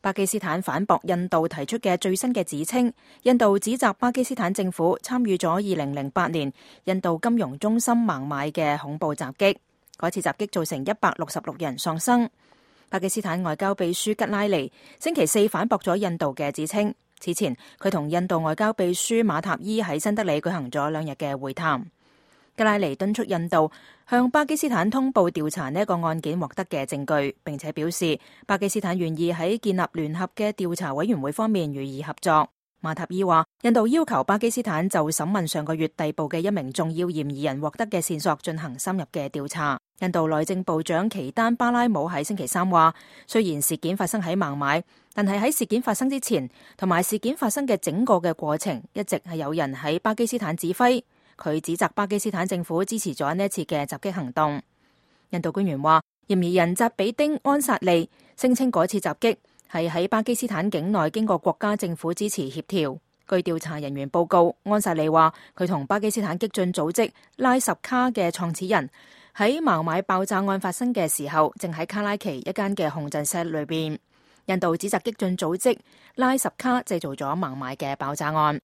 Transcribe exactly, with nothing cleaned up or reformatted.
巴基斯坦反駁印度提出嘅最新嘅指稱，印度指責巴基斯坦政府參與咗二零零八年印度金融中心孟買嘅恐怖襲擊，嗰次襲擊造成一百六十六人喪生。巴基斯坦外交秘書吉拉尼星期四反駁咗印度嘅指稱，此前佢同印度外交秘書馬塔伊喺新德里舉行咗兩日嘅會談。吉拉尼敦促印度向巴基斯坦通報調查呢一個案件獲得嘅證據，並且表示巴基斯坦願意喺建立聯合嘅調查委員會方面予以合作。馬塔伊話，印度要求巴基斯坦就審問上個月逮捕嘅一名重要嫌疑人獲得嘅線索進行深入嘅調查。印度內政部長奇丹巴拉姆喺星期三話，雖然事件發生喺孟買，但係喺事件發生之前同埋事件發生嘅整個嘅過程，一直係有人喺巴基斯坦指揮。佢指責巴基斯坦政府支持咗呢一次嘅襲擊行動。印度官員話，嫌疑人扎比丁安薩利聲稱嗰次襲擊係喺巴基斯坦境內經過國家政府支持協調。據調查人員報告，安薩利話佢同巴基斯坦激進組織拉什卡嘅創始人喺孟買爆炸案發生嘅時候，正喺卡拉奇一間嘅控制室裏邊。印度指責激進組織拉什卡製造咗孟買嘅爆炸案。